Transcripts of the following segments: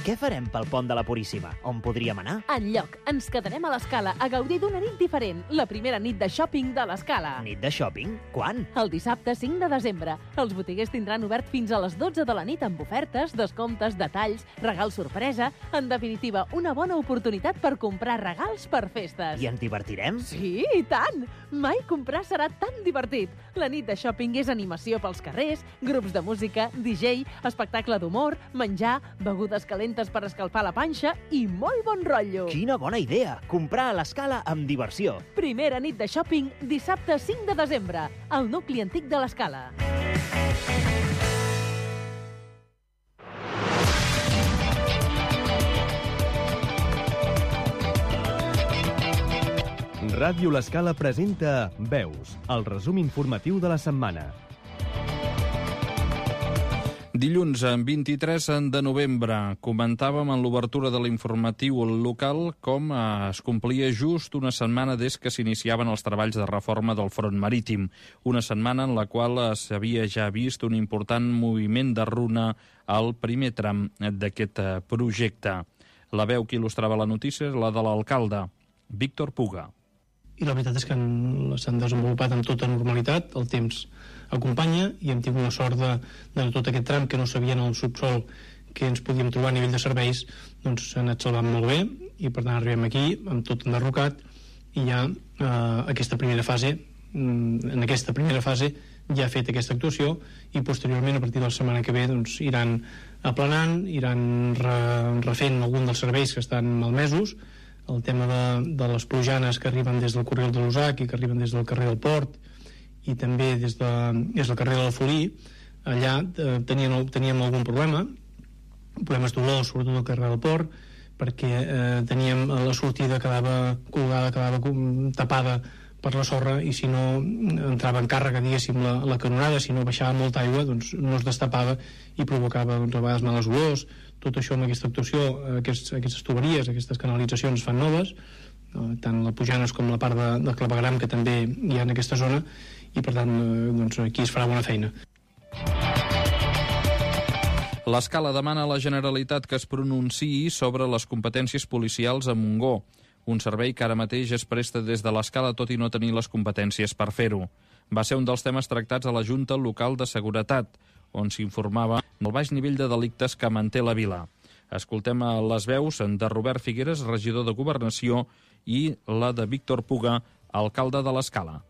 què farem pel pont de la Puríssima? On podríem anar? Enlloc. Ens quedarem a l'Escala a gaudir d'una nit diferent, la primera nit de shopping de l'Escala. Nit de shopping? Quan? El dissabte 5 de desembre. Els botiguers tindran obert fins a les 12 de la nit amb ofertes, descomptes, detalls, regals sorpresa. En definitiva, una bona oportunitat per comprar regals per festes. I ens divertirem? Sí, i tant! Mai comprar serà tan divertit. La nit de shopping és animació pels carrers, grups de música, DJ, espectacle d'humor, menjar, begudes calentes per escalfar la panxa i molt bon rotllo. Quina bona idea! Comprar a l'Escala amb diversió. Primera nit de shopping, dissabte 5 de desembre, al nucli antic de l'Escala. Ràdio L'Escala presenta Veus, el resum informatiu de la setmana. Dilluns, 23 de novembre, comentàvem en l'obertura de l'informatiu local com es complia just una setmana des que s'iniciaven els treballs de reforma del front marítim. Una setmana en la qual s'havia ja vist un important moviment de runa al primer tram d'aquest projecte. La veu que il·lustrava la notícia és la de l'alcalde, Víctor Puga. I la veritat és que s'han desenvolupat amb tota normalitat, el temps acompanya i hem tingut la sort de tot aquest tram que no sabien al subsol que ens podíem trobar a nivell de serveis, doncs s'ha anat salvant molt bé i per tant arribem aquí amb tot enderrocat i ja aquesta primera fase, en aquesta primera fase ja ha fet aquesta actuació i posteriorment a partir de la setmana que ve doncs iran aplanant, iran refent algun dels serveis que estan malmesos, el tema de les plujanes que arriben des del carril de l'Usac i que arriben des del carrer del Port i també des del carrer de la Folí. Allà teníem algun problema, problemes d'olor, sobretot al carrer del Port, perquè teníem la sortida quedava colgada, quedava tapada per la sorra i si no entrava en càrrega, diguéssim, la canonada, si no baixava molta aigua, doncs no es destapava i provocava doncs, a vegades males olors. Tot això amb aquesta actuació, aquestes tuberies, aquestes canalitzacions fan noves, tant la Pujanes com la part de clavegram que també hi ha en aquesta zona i per tant doncs, aquí es farà bona feina. L'Escala demana a la Generalitat que es pronunciï sobre les competències policials a Montgó, un servei que ara mateix es presta des de l'Escala tot i no tenir les competències per fer-ho. Va ser un dels temes tractats a la Junta Local de Seguretat, on s'informava del baix nivell de delictes que manté la vila. Escoltem les veus de Robert Figueres, regidor de Governació, i la de Víctor Puga, alcalde de l'Escala.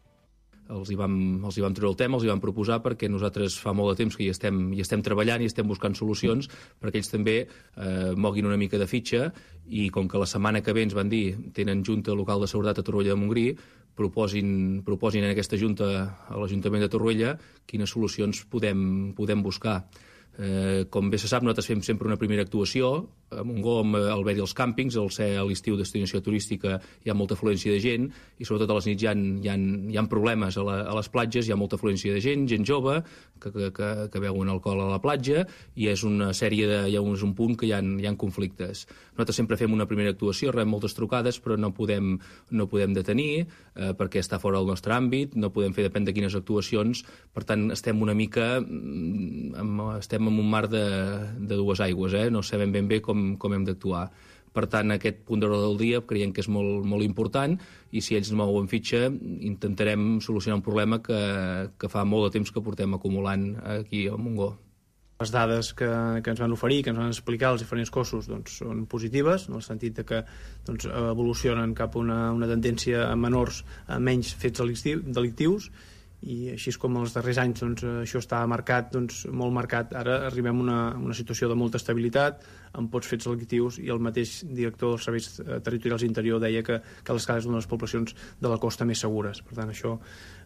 Els hi vam treure el tema, els hi vam proposar perquè nosaltres fa molt de temps que hi estem treballant i estem buscant solucions perquè ells també moguin una mica de fitxa i com que la setmana que ve ens van dir tenen Junta Local de Seguretat a Torroella de Montgrí, proposin en aquesta Junta a l'Ajuntament de Torroella quines solucions podem buscar. Com bé se sap, nosaltres fem sempre una primera actuació a Montgó, al haver-hi els càmpings, al ser a l'estiu destinació turística hi ha molta afluència de gent i sobretot a les nits hi ha problemes a les platges, hi ha molta afluència de gent jove que beuen alcohol a la platja i és una sèrie hi ha un punt que hi ha conflictes. Nosaltres sempre fem una primera actuació, rebem moltes trucades però no podem detenir perquè està fora del nostre àmbit, no podem fer depèn de quines actuacions, per tant estem una mica estem en un mar de dues aigües, no sabem ben bé com hem d'actuar. Per tant, aquest punt d'ordre del dia creiem que és molt, molt important i si ells mouen fitxa intentarem solucionar un problema que fa molt de temps que portem acumulant aquí a Montgó. Les dades que ens van oferir, que ens van explicar els diferents cossos doncs, són positives, en el sentit de que doncs, evolucionen cap a una tendència a menors, a menys fets delictius i així com els darrers anys doncs, això està marcat, doncs, molt marcat. Ara arribem a una situació de molta estabilitat, amb pocs fets delictius i el mateix director dels serveis territorials interior deia que l'Escala és una de les poblacions de la costa més segures. Per tant, això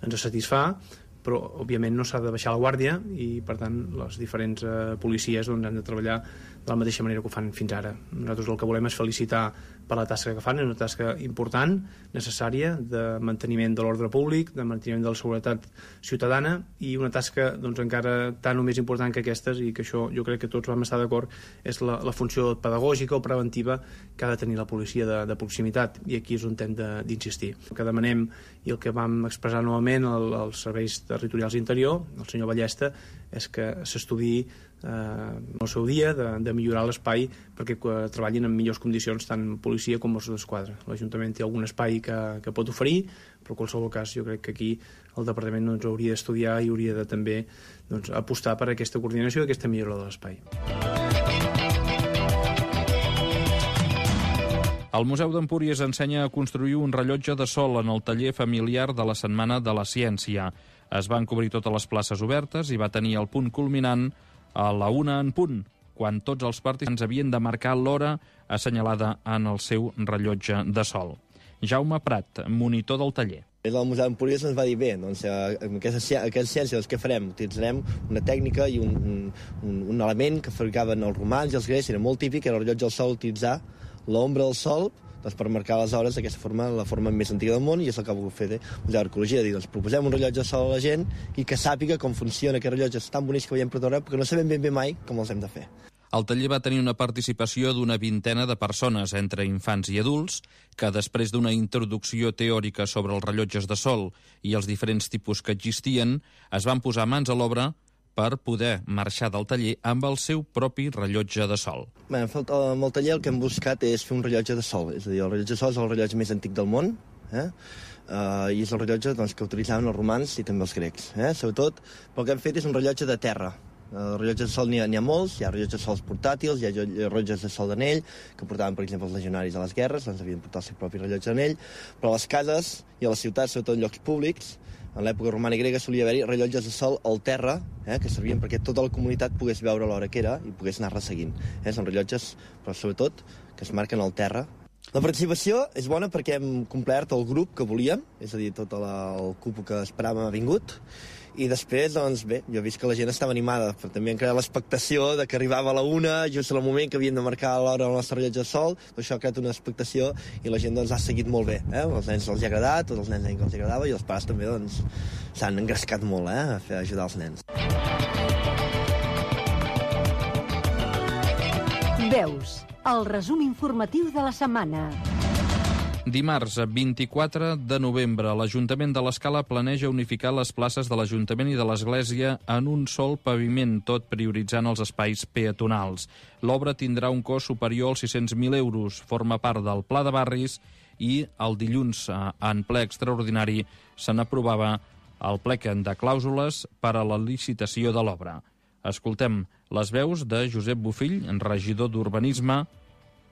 ens satisfà, però òbviament no s'ha de baixar la guàrdia i per tant les diferents policies doncs, han de treballar de la mateixa manera que ho fan fins ara. Nosaltres el que volem és felicitar per la tasca que fan, és una tasca important, necessària, de manteniment de l'ordre públic, de manteniment de la seguretat ciutadana i una tasca doncs, encara tan o més important que aquestes i que això jo crec que tots vam estar d'acord és la funció pedagògica o preventiva que ha de tenir la policia de proximitat i aquí és on hem d'insistir. El que demanem i el que vam expressar novament als serveis territorials interior, el senyor Ballesta, és que s'estudiï el seu dia de millorar l'espai perquè treballin en millors condicions tant policia com Mossos d'Esquadra. L'Ajuntament té algun espai que pot oferir, però en qualsevol cas jo crec que aquí el Departament hauria d'estudiar i hauria de també apostar per aquesta coordinació i aquesta millora de l'espai. El Museu d'Empúries ensenya a construir un rellotge de sol en el taller familiar de la Setmana de la Ciència. Es van cobrir totes les places obertes i va tenir el punt culminant a la 1 en punt, quan tots els participants havien de marcar l'hora assenyalada en el seu rellotge de sol. Jaume Prat, monitor del taller. Des del Museu d'Empúries ens va dir, bé, doncs, en aquesta ciència què farem? Utilitzarem una tècnica i un element que fabricaven els romans i els grecs, era molt típic, era el rellotge del sol, utilitzar l'ombra del sol doncs, per marcar les hores d'aquesta forma, la forma més antiga del món, i és el que ha volgut fer el Museu d'Arqueologia, dir, doncs, proposem un rellotge de sol a la gent i que sàpiga com funciona aquest rellotge tan bonics que veiem per tot arreu, perquè no sabem ben bé mai com els hem de fer. El taller va tenir una participació d'una vintena de persones, entre infants i adults, que després d'una introducció teòrica sobre els rellotges de sol i els diferents tipus que existien, es van posar mans a l'obra per poder marxar del taller amb el seu propi rellotge de sol. Bé, amb el taller el que hem buscat és fer un rellotge de sol, és a dir, el rellotge de sol és el rellotge més antic del món, i és el rellotge que utilitzaven els romans i també els grecs. Sobretot, el que hem fet és un rellotge de terra. Rellotges de sol n'hi ha molts, hi ha rellotges de sols portàtils, hi ha rellotges de sol d'anell, que portaven, per exemple, els legionaris a les guerres, doncs havien portat el seu propi rellotge d'anell, però a les cases i a les ciutats, sobretot en llocs públics, en l'època romana i grega solia haver-hi rellotges de sol al terra, que servien perquè tota la comunitat pogués veure l'hora que era i pogués anar resseguint. Són rellotges, però sobretot, que es marquen al terra. La participació és bona perquè hem complert el grup que volíem, és a dir, tot el cupo que esperàvem ha vingut, i després, doncs bé, jo he vist que la gent estava animada, però també han creat l'expectació de que arribava a la 1, just en el moment que havien de marcar l'hora al nostre rellotge de sol, doncs això ha creat una expectació i la gent doncs, ha seguit molt bé. Els nens els ha agradat, tots els nens que els agradava, i els pares també doncs, s'han engrescat molt a ajudar els nens. Veus, el resum informatiu de la setmana. Dimarts, 24 de novembre, l'Ajuntament de l'Escala planeja unificar les places de l'Ajuntament i de l'Església en un sol paviment, tot prioritzant els espais peatonals. L'obra tindrà un cost superior als 600.000 euros, forma part del Pla de Barris i el dilluns, en ple extraordinari, se n'aprovava el plec de clàusules per a la licitació de l'obra. Escoltem les veus de Josep Bofill, regidor d'Urbanisme,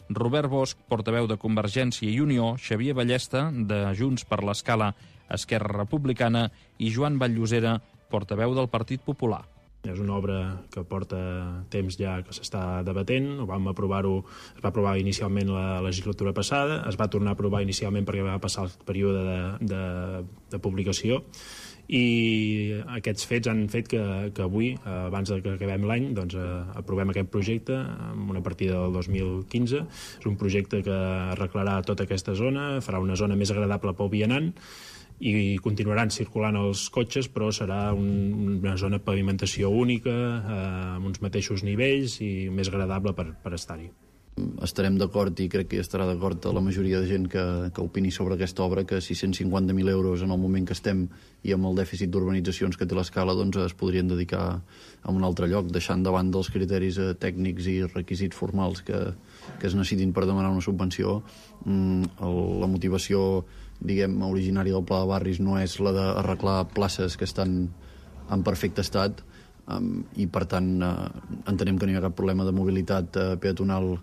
Robert Bosch, portaveu de Convergència i Unió, Xavier Ballesta, de Junts per l'Escala, Esquerra Republicana, i Joan Vall-llosera, portaveu del Partit Popular. És una obra que porta temps ja que s'està debatent, es va aprovar inicialment la legislatura passada, es va tornar a aprovar inicialment perquè va passar el període de publicació, i aquests fets han fet que avui, abans que acabem l'any, doncs, aprovem aquest projecte amb una partida del 2015. És un projecte que arreglarà tota aquesta zona, farà una zona més agradable pel vianant i continuaran circulant els cotxes, però serà una zona de pavimentació única, amb uns mateixos nivells i més agradable per estar-hi. Estarem d'acord, i crec que estarà d'acord la majoria de gent que opini sobre aquesta obra, que 650.000 euros en el moment que estem i amb el dèficit d'urbanitzacions que té l'Escala doncs es podrien dedicar a un altre lloc, deixant davant dels criteris tècnics i requisits formals que es necessitin per demanar una subvenció. La motivació, diguem, originària del Pla de Barris no és la d'arreglar places que estan en perfecte estat, i per tant entenem que no hi ha cap problema de mobilitat peatonal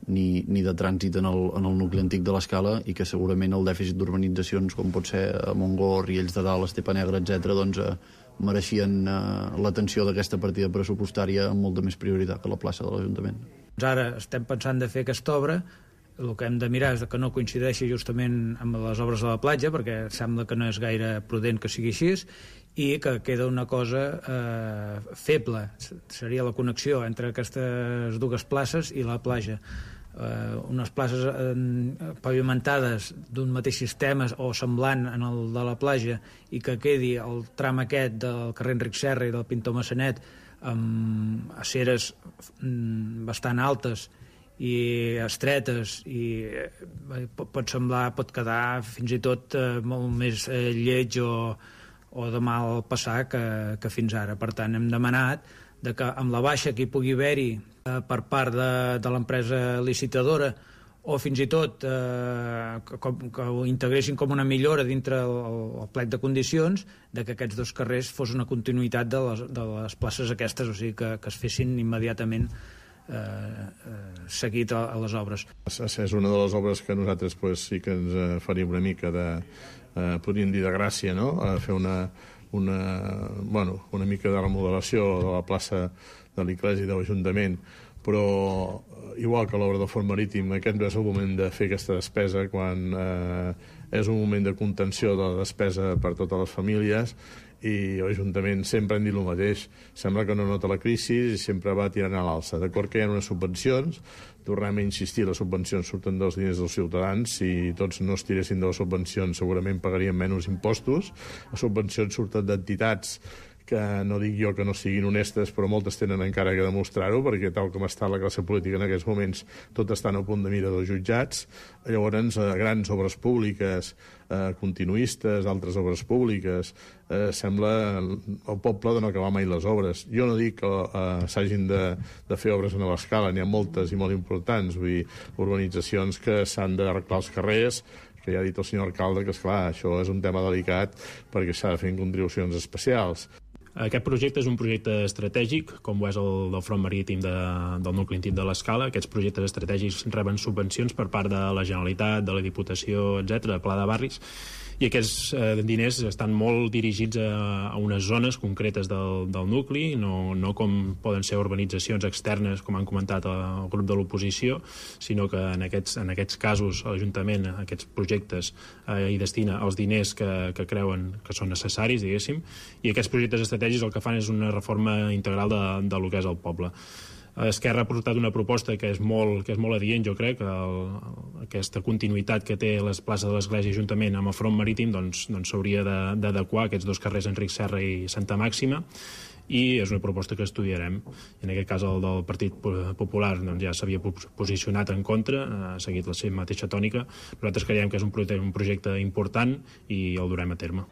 ni de trànsit en el nucli antic de l'Escala, i que segurament el dèficit d'urbanitzacions com pot ser a Montgó, Riells de Dalt, Estepa Negra, etc., doncs mereixien l'atenció d'aquesta partida pressupostària amb molta més prioritat que la plaça de l'Ajuntament. Ara estem pensant de fer aquesta obra, el que hem de mirar és que no coincideixi justament amb les obres de la platja, perquè sembla que no és gaire prudent que sigui així, i que queda una cosa feble, seria la connexió entre aquestes dues places i la platja. Unes places pavimentades d'un mateix sistema o semblant en el de la platja, i que quedi el tram aquest del carrer Enric Serra i del Pintor Massanet amb aceres bastant altes i estretes, i pot quedar fins i tot molt més lleig o de mal passar que fins ara. Per tant, hem demanat que amb la baixa que hi pugui haver-hi per part de l'empresa licitadora o fins i tot que ho integressin com una millora dintre el plec de condicions, que aquests dos carrers fos una continuïtat de les places aquestes, o sigui que es fessin immediatament seguit a les obres. És una de les obres que nosaltres sí que ens faria una mica podríem dir de gràcia, no? A fer una mica de remodelació de la plaça de l'Iglesi de l'Ajuntament, però igual que l'obra del Fort Marítim, aquest no és el moment de fer aquesta despesa quan és un moment de contenció de la despesa per totes les famílies, i l'Ajuntament sempre han dit el mateix. Sembla que no nota la crisi i sempre va tirant a l'alça. D'acord que hi ha unes subvencions, tornem a insistir, les subvencions surten dels diners dels ciutadans. Si tots no es tiressin de les subvencions segurament pagaríem menys impostos. Les subvencions surten d'entitats que no dic jo que no siguin honestes, però moltes tenen encara que demostrar-ho, perquè tal com està la classe política en aquests moments, tot estan a punt de mira dels jutjats. Llavors, grans obres públiques, continuistes, altres obres públiques, sembla el poble de no acabar mai les obres. Jo no dic que s'hagin de fer obres a nova escala, n'hi ha moltes i molt importants, vull dir, urbanitzacions que s'han d'arreglar els carrers, que ja ha dit el senyor alcalde que, esclar, això és un tema delicat perquè s'ha de fer en contribucions especials. Aquest projecte és un projecte estratègic, com ho és el del front marítim del nucli antic de l'Escala. Aquests projectes estratègics reben subvencions per part de la Generalitat, de la Diputació, etc., Pla de Barris, i aquests diners estan molt dirigits a unes zones concretes del nucli, no com poden ser urbanitzacions externes, com han comentat el grup de l'oposició, sinó que en aquests casos l'Ajuntament, aquests projectes, hi destina els diners que creuen que són necessaris, diguéssim, i aquests projectes estratègics el que fan és una reforma integral de lo que és el poble. Esquerra ha portat una proposta que és molt adient, jo crec, aquesta continuïtat que té les places de l'Església i Ajuntament amb el front marítim, doncs s'hauria d'adequar aquests dos carrers, Enric Serra i Santa Màxima, i és una proposta que estudiarem. En aquest cas el del Partit Popular ja s'havia posicionat en contra, ha seguit la seva mateixa tònica. Nosaltres creiem que és un projecte important i el durem a terme.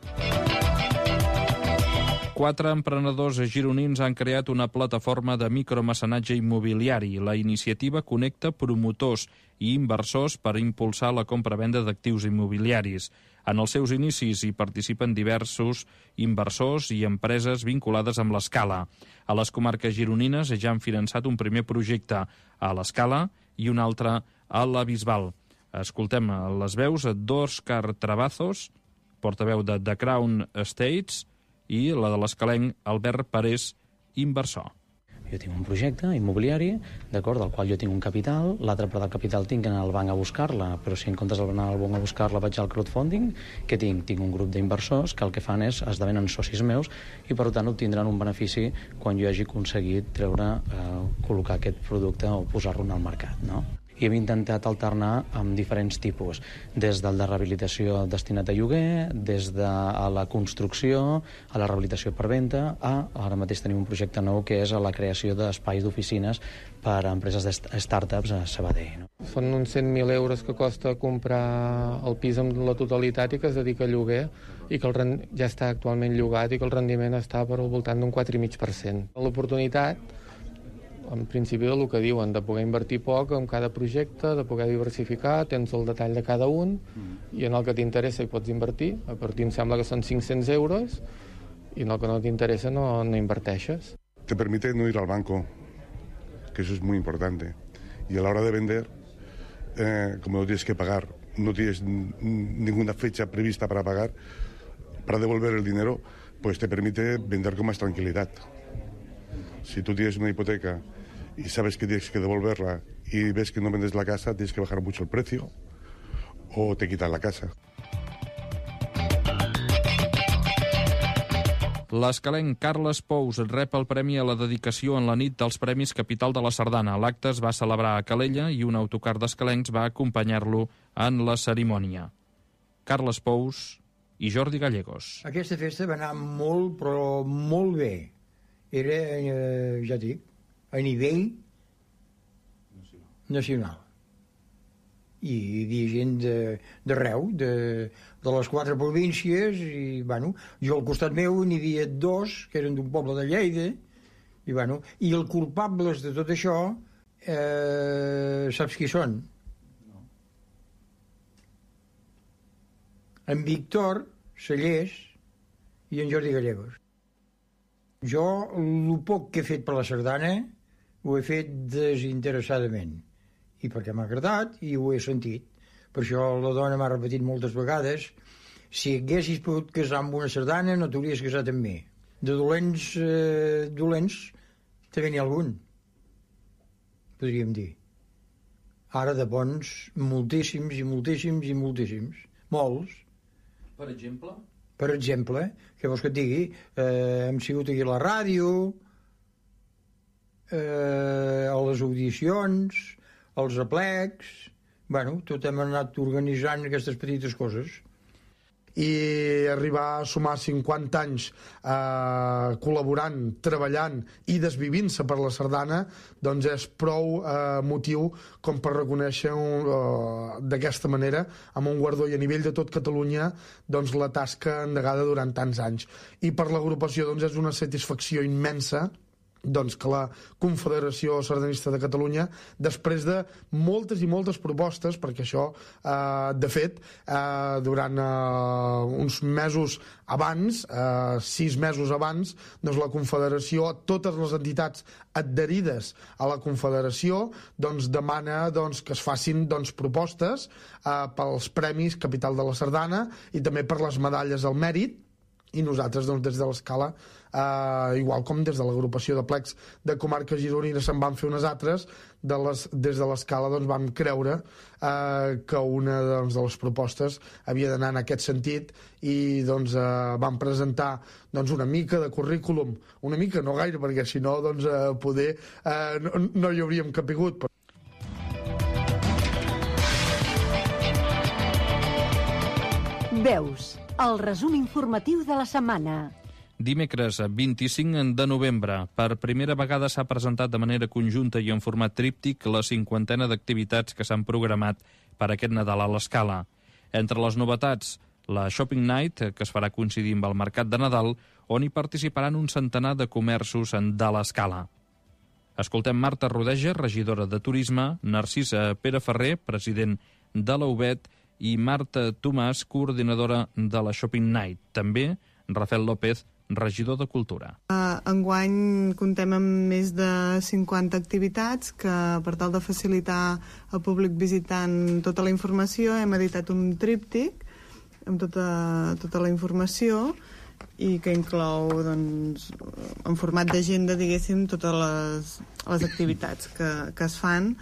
4 emprenedors gironins han creat una plataforma de micromecenatge immobiliari. La iniciativa connecta promotors i inversors per impulsar la compra-venda d'actius immobiliaris. En els seus inicis hi participen diversos inversors i empreses vinculades amb l'Escala. A les comarques gironines ja han finançat un primer projecte a l'Escala i un altre a la Bisbal. Escoltem les veus d'Òscar Travazos, portaveu de The Crown Estates, i la de l'escalenc Albert Parés, inversor. Jo tinc un projecte immobiliari, d'acord, del qual jo tinc un capital, l'altra part del capital tinc que anar al banc a buscar-la, però si en comptes d'anar al banc a buscar-la vaig al crowdfunding, què tinc? Tinc un grup d'inversors que el que fan és esdevenen socis meus i per tant obtindran un benefici quan jo hagi aconseguit col·locar aquest producte o posar-lo al mercat, no? I hem intentat alternar amb diferents tipus, des del de rehabilitació destinat a lloguer, des de la construcció, a la rehabilitació per venda, ara mateix tenim un projecte nou que és a la creació d'espais d'oficines per a empreses de startups a Sabadell. No? Són uns 100.000 euros que costa comprar el pis amb la totalitat i que es dedica a lloguer i que ja està actualment llogat i que el rendiment està per al voltant d'un 4,5%. L'oportunitat, en principi del que diuen, de poder invertir poc en cada projecte, de poder diversificar, tens el detall de cada un i en el que t'interessa hi pots invertir. A partir em sembla que són 500 euros y en el que no t'interessa no inverteixes. Te permite no ir al banco, que eso es muy importante. Y a la hora de vender, como no tienes que pagar, no tienes ninguna fecha prevista para pagar, para devolver el dinero, pues te permite vender con más tranquilidad. Si tú tienes una hipoteca y sabes que tienes que devolverla y ves que no vendes la casa, tienes que bajar mucho el precio o te quitan la casa. L'escalenc Carles Pous rep el premi a la dedicació en la nit dels Premis Capital de la Sardana. L'acte es va celebrar a Calella i un autocar d'escalencs va acompanyar-lo en la cerimònia. Carles Pous i Jordi Gallegos. Aquesta festa va anar molt, però molt bé. Era, ja dic, a nivell nacional. i hi havia gent d'arreu, de les 4 províncies, i, bueno, jo al costat meu n'hi havia 2 que eren d'un poble de Lleida, i, bueno, i els culpables de tot això, saps qui són? En Víctor Cellers i en Jordi Gallegos. Jo, el poc que he fet per la sardana, ho he fet desinteressadament, i perquè m'ha agradat i ho he sentit. Per això la dona m'ha repetit moltes vegades: si haguessis pogut casar amb una sardana no t'hauries casat amb mi. De dolents també n'hi ha algun, podríem dir. Ara de bons, moltíssims i moltíssims i moltíssims. Molts. Per exemple? Per exemple, què vols que et digui? Hem sigut aquí a la ràdio, a les audicions, als aplecs. Bueno, tot hem anat organitzant aquestes petites coses. I arribar a sumar 50 anys col·laborant, treballant i desvivint-se per la sardana, doncs és prou motiu com per reconèixer d'aquesta manera, amb un guardó i a nivell de tot Catalunya, doncs la tasca endegada durant tants anys. I per l'agrupació doncs és una satisfacció immensa doncs que la Confederació Sardanista de Catalunya, després de moltes i moltes propostes, perquè això, de fet, durant uns mesos abans, 6 mesos abans, doncs la Confederació, totes les entitats adherides a la Confederació, doncs demana doncs, que es facin doncs, propostes pels Premis Capital de la Sardana i també per les medalles al mèrit. I nosaltres, doncs, des de l'Escala, igual com des de l'agrupació de plecs de comarques gironines se'n van fer unes altres, des de l'Escala doncs, vam creure que una doncs, de les propostes havia d'anar en aquest sentit i doncs, vam presentar doncs, una mica de currículum, una mica, no gaire, perquè si no doncs, poder no hi hauríem capigut. Veus, el resum informatiu de la setmana. Dimecres 25 de novembre, per primera vegada s'ha presentat de manera conjunta i en format tríptic la 50ena d'activitats que s'han programat per aquest Nadal a l'Escala. Entre les novetats, la Shopping Night, que es farà coincidir amb el Mercat de Nadal, on hi participaran un centenar de comerços de l'Escala. Escoltem Marta Rodeja, regidora de Turisme, Narcisa Pereferrer, president de la UBET, i Marta Tomàs, coordinadora de la Shopping Night. També Rafael López, regidor de Cultura. Enguany comptem amb més de 50 activitats que, per tal de facilitar al públic visitant tota la informació, hem editat un tríptic amb tota la informació i que inclou, doncs, en format d'agenda, diguéssim, totes les activitats que es fan,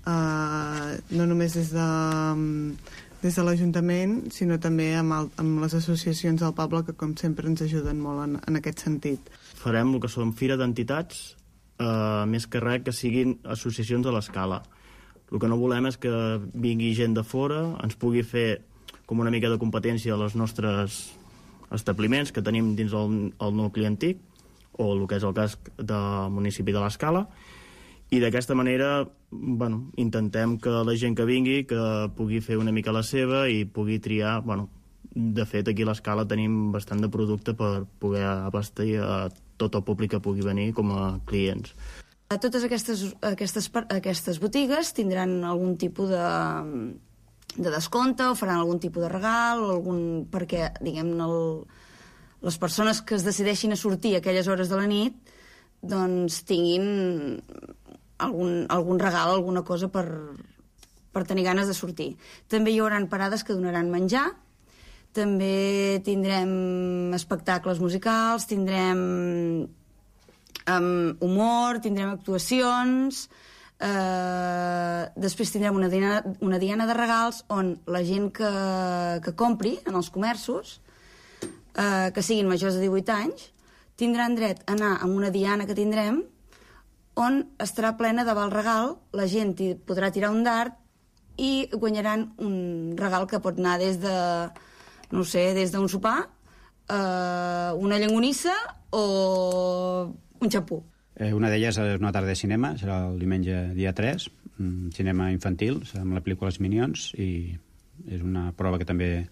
no només des de l'Ajuntament, sinó també amb les associacions del poble, que com sempre ens ajuden molt en aquest sentit. Farem el que són fira d'entitats, més que res que siguin associacions a l'Escala. El que no volem és que vingui gent de fora, ens pugui fer com una mica de competència als nostres establiments que tenim dins el nucli antic, o el que és el casc del municipi de l'Escala, i d'aquesta manera intentem que la gent que vingui que pugui fer una mica la seva i pugui triar. De fet, aquí a l'Escala tenim bastant de producte per poder abastir a tot el públic que pugui venir com a clients. Totes aquestes botigues tindran algun tipus de descompte o faran algun tipus de regal perquè, diguem-ne, les persones que es decideixin a sortir a aquelles hores de la nit doncs tinguin algun regal, alguna cosa per tenir ganes de sortir. També hi haurà parades que donaran menjar, també tindrem espectacles musicals, tindrem humor, tindrem actuacions, després tindrem una diana de regals on la gent que compri en els comerços, que siguin majors de 18 anys, tindran dret a anar a una diana que tindrem on estarà plena de val regal, la gent podrà tirar un dard i guanyaran un regal que pot anar des d'un sopar, una llonganissa o un xampú. Una d'elles és una tarda de cinema, serà el diumenge dia 3, cinema infantil, amb la pel·lícula Els Minions, i és una prova que també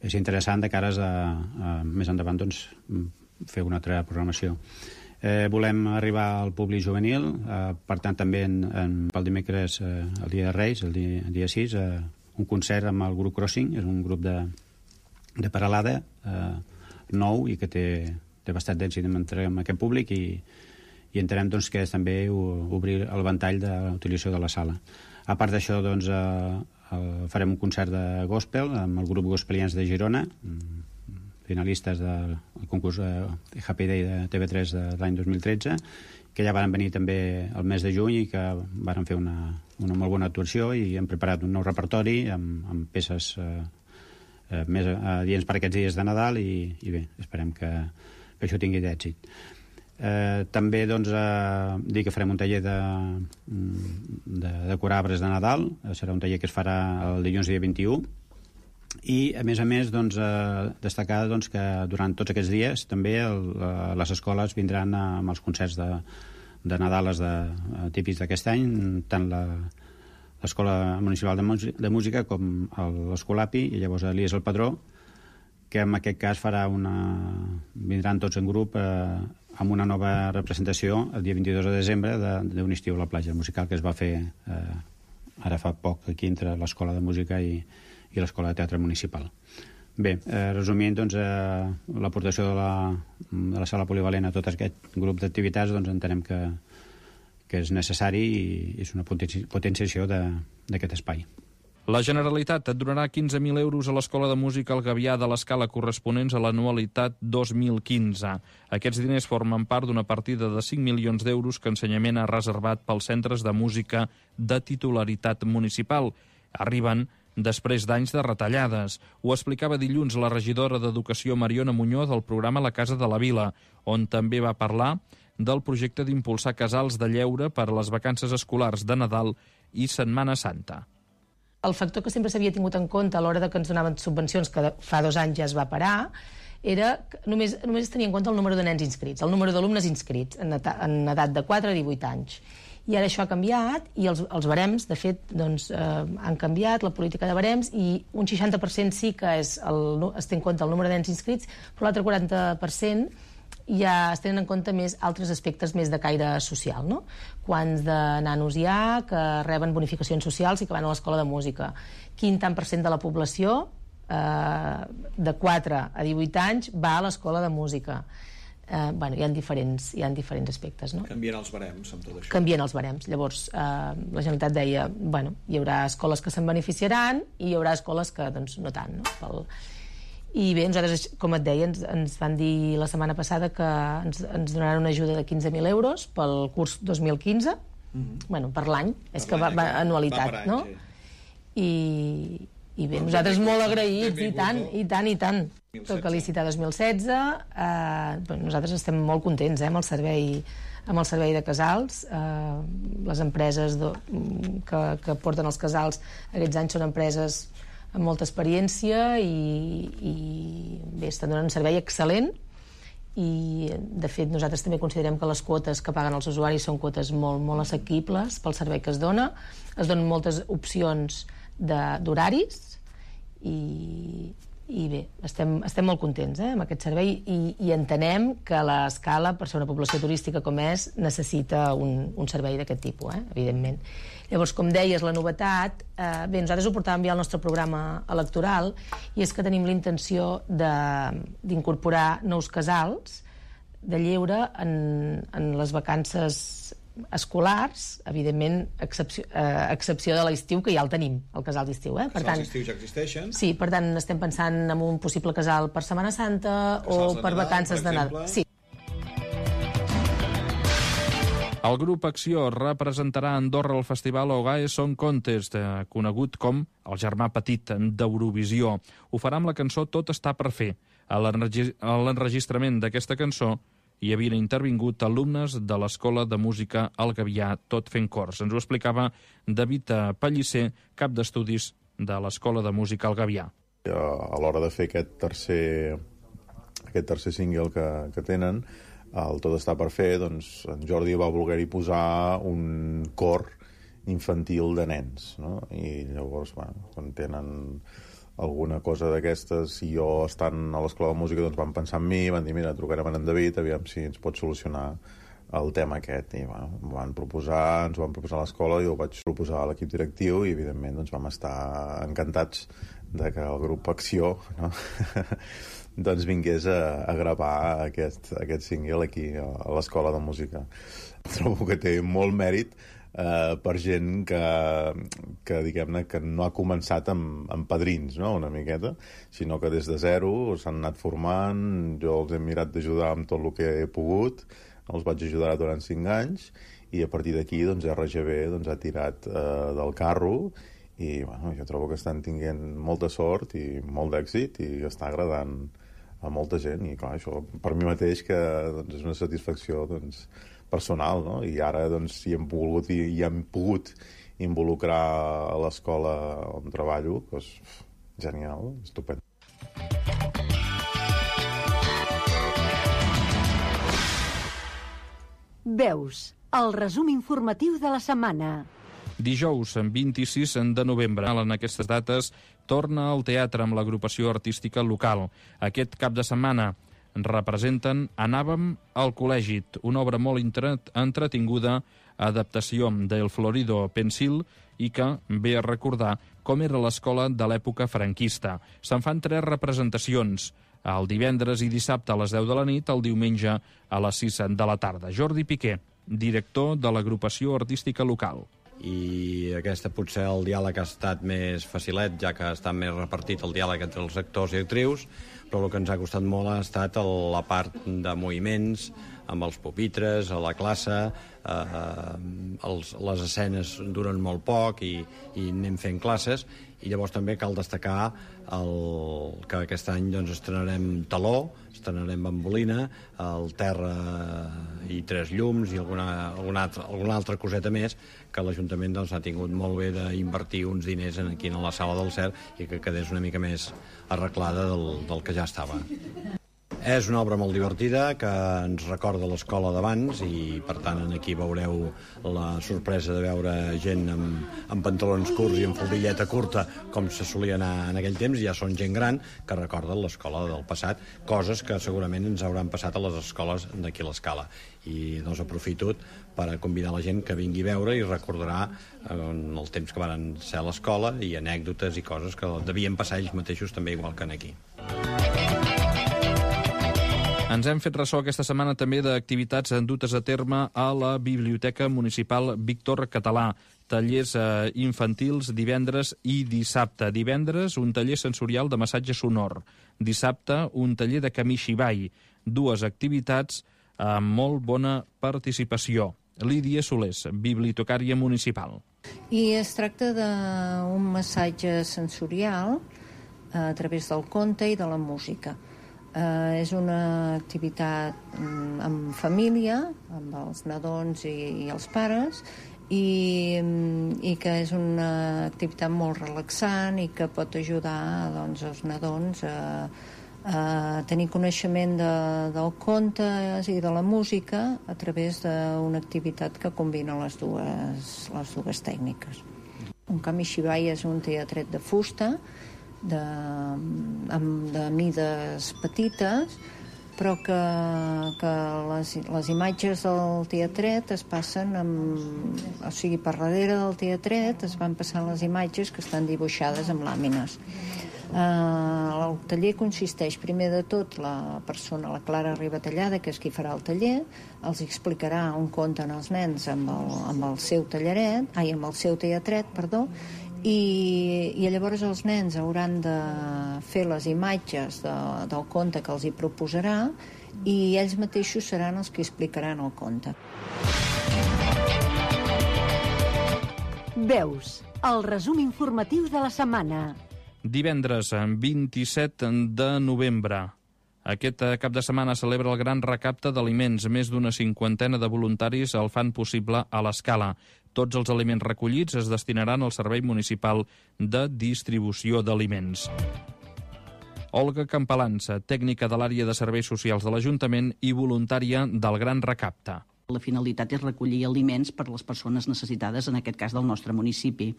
és interessant de cares a més endavant doncs, fer una altra programació. Volem arribar al públic juvenil, per tant també pel dimecres, el dia de Reis, el dia 6, un concert amb el grup Crossing, és un grup de Peralada nou i que té bastant d'èxit amb aquest públic i entenem doncs, que és també obrir el ventall de l'utilització de la sala. A part d'això, doncs, farem un concert de gospel amb el grup Gospelians de Girona, finalistes del concurs Happy Day de TV3 de l'any 2013, que ja van venir també el mes de juny i que van fer una molt bona actuació i hem preparat un nou repertori amb peces més adients per aquests dies de Nadal i bé, esperem que això tingui d'èxit. També doncs, dir que farem un taller de decorar arbres de Nadal, serà un taller que es farà el dilluns dia 21 i a més doncs, destacar doncs, que durant tots aquests dies també les escoles vindran amb els concerts de Nadal típics d'aquest any, tant l'Escola Municipal de Música com l'Escolapi i llavors l'Elies el Padró, que en aquest cas vindran tots en grup amb una nova representació el dia 22 de desembre d'un estiu a la platja, musical que es va fer ara fa poc aquí entre l'Escola de Música i l'Escola de Teatre Municipal. Bé, resumint, doncs, l'aportació de la sala polivalent a tot aquest grup d'activitats doncs, entenem que és necessari i és una potenciació d'aquest espai. La Generalitat et donarà 15.000 euros a l'Escola de Música El Gavià de l'Escala corresponents a l'anualitat 2015. Aquests diners formen part d'una partida de 5 milions d'euros que Ensenyament ha reservat pels centres de música de titularitat municipal. Arriben després d'anys de retallades. Ho explicava dilluns la regidora d'Educació Mariona Muñoz del programa La Casa de la Vila, on també va parlar del projecte d'impulsar casals de lleure per a les vacances escolars de Nadal i Setmana Santa. El factor que sempre s'havia tingut en compte a l'hora de que ens donaven subvencions, que fa 2 anys ja es va parar, era que només es tenia en compte el número de nens inscrits, el número d'alumnes inscrits en edat de 4 a 18 anys. I ara això ha canviat i els barems, de fet, doncs, han canviat la política de barems i un 60% sí que es té en compte el número de nens inscrits, però l'altre 40% ja es tenen en compte més altres aspectes més de caire social, no? Quants de nanos hi ha que reben bonificacions socials i que van a l'escola de música? Quin tant per cent de la població de 4 a 18 anys va a l'escola de música? Hi ha diferents aspectes, no? Canvien els barems amb tot això. Canvien els barems. Llavors, la Generalitat deia, hi haurà escoles que se'n beneficiaran i hi haurà escoles que, doncs, no tant, no? I bé, nosaltres, com et deia, ens van dir la setmana passada que ens donaran una ajuda de 15.000 euros pel curs 2015, per l'any, és que va anualitat, no? I bé, nosaltres molt agraïts, i tant. Tot que licitar 2016, nosaltres estem molt contents amb el servei de casals. Les empreses que porten els casals aquests anys són empreses amb molta experiència i bé, estan donant un servei excel·lent i de fet nosaltres també considerem que les quotes que paguen els usuaris són quotes molt, molt assequibles pel servei que es dona. Es donen moltes opcions d'horaris i bé, estem molt contents amb aquest servei i entenem que l'Escala, per ser una població turística com és, necessita un servei d'aquest tipus, evidentment. Llavors, com deies, la novetat, bé, nosaltres ho portàvem ja al nostre programa electoral i és que tenim la intenció d'incorporar nous casals de lleure en les vacances escolars, evidentment, excepció de l'estiu, que ja el tenim, el casal d'estiu. Els casals d'estiu ja existeixen. Sí, per tant, estem pensant en un possible casal per Setmana Santa o per vacances de Nadal. Sí. El grup Acció representarà a Andorra el festival Ogae Song Contest, conegut com el germà petit d'Eurovisió. Ho farà amb la cançó Tot està per fer. A l'enregistrament d'aquesta cançó hi havien intervingut alumnes de l'Escola de Música El Gavià, tot fent cors. Ens ho explicava David Pellicer, cap d'estudis de l'Escola de Música El Gavià. A l'hora de fer aquest tercer single que tenen, el Tot està per fer, doncs en Jordi va voler-hi posar un cor infantil de nens, no? I llavors, bueno, quan tenen alguna cosa d'aquestes, si jo estant a l'Escola de Música, doncs van pensar en mi, van dir, mira, trucarem a en David, aviam si ens pot solucionar el tema aquest. I bueno, ens ho van proposar a l'escola, i ho vaig proposar a l'equip directiu, i evidentment doncs, vam estar encantats de que el grup Acció, no? doncs vingués a gravar aquest single aquí a l'Escola de Música. Trobo que té molt mèrit per gent que diguem-ne, que no ha començat amb padrins, no?, una miqueta, sinó que des de zero s'han anat formant. Jo els he mirat d'ajudar amb tot el que he pogut, els vaig ajudar durant 5 anys, i a partir d'aquí doncs, RGB doncs, ha tirat del carro, i bueno, jo trobo que estan tinguent molta sort i molt d'èxit, i està agradant a molta gent, i clar, això per mi mateix que doncs, és una satisfacció doncs, personal, no? I ara doncs, hi hem pogut involucrar a l'escola on treballo, doncs, genial, estupend. Veus, el resum informatiu de la setmana. Dijous, 26 de novembre, en aquestes dates, torna al teatre amb l'agrupació artística local. Aquest cap de setmana representen Anàvem al col·legi, una obra molt entretinguda, adaptació d'El Florido Pensil, i que ve a recordar com era l'escola de l'època franquista. Se'n fan 3 representacions, el divendres i dissabte a les 10 de la nit, el diumenge a les 6 de la tarda. Jordi Piqué, director de l'agrupació artística local. I aquesta potser el diàleg ha estat més facilet, ja que està més repartit el diàleg entre els actors i actrius, però el que ens ha costat molt ha estat la part de moviments, amb els pupitres, a la classe, les escenes duren molt poc i anem fent classes, i llavors també cal destacar que aquest any doncs, estrenarem taló, estrenarem bambolina, el terra i 3 llums i alguna altra coseta més, que l'Ajuntament doncs, ha tingut molt bé d'invertir uns diners aquí a la sala del CERT i que quedés una mica més arreglada del que ja estava. És una obra molt divertida que ens recorda l'escola d'abans, i per tant aquí veureu la sorpresa de veure gent amb pantalons curts i amb faldilleta curta, com se solia anar en aquell temps. Ja són gent gran que recorden l'escola del passat, coses que segurament ens hauran passat a les escoles d'aquí a l'Escala. I doncs aprofito per convidar la gent que vingui a veure i recordarà el temps que van ser a l'escola i anècdotes i coses que devien passar ells mateixos també igual que aquí. Ens hem fet ressò aquesta setmana també d'activitats dutes a terme a la Biblioteca Municipal Víctor Català. Tallers infantils divendres i dissabte. Divendres, un taller sensorial de massatge sonor. Dissabte, un taller de Kamishibai. 2 activitats amb molt bona participació. Lídia Solés, bibliotecària municipal. I es tracta d'un massatge sensorial a través del conte i de la música. És una activitat en família, amb els nadons i els pares, i que és una activitat molt relaxant i que pot ajudar doncs, els nadons a tenir coneixement del conte i de la música a través d'una activitat que combina les dues tècniques. Un Kamishibai és un teatret de fusta, de mides petites, però que les imatges del teatret es passen o sigui, per darrere del teatret es van passant les imatges que estan dibuixades amb làmines. El taller consisteix, primer de tot, la persona, la Clara Ribatallada, que és qui farà el taller, els explicarà on conten els nens amb el seu teatret, i llavors els nens hauran de fer les imatges del conte que els hi proposarà, i ells mateixos seran els que explicaran el conte. Veus, el resum informatiu de la setmana. Divendres, 27 de novembre. Aquest cap de setmana celebra el gran recapte d'aliments. Més d'una 50 de voluntaris el fan possible a l'Escala. Tots els aliments recollits es destinaran al Servei Municipal de Distribució d'Aliments. Olga Campalança, tècnica de l'àrea de serveis socials de l'Ajuntament i voluntària del Gran Recapte. La finalitat és recollir aliments per a les persones necessitades, en aquest cas del nostre municipi.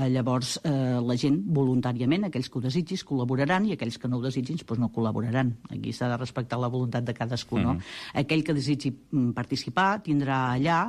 Llavors, la gent voluntàriament, aquells que ho desitgin, col·laboraran, i aquells que no ho desitgin no col·laboraran. Aquí s'ha de respectar la voluntat de cadascú. No? Aquell que desitgi participar tindrà allà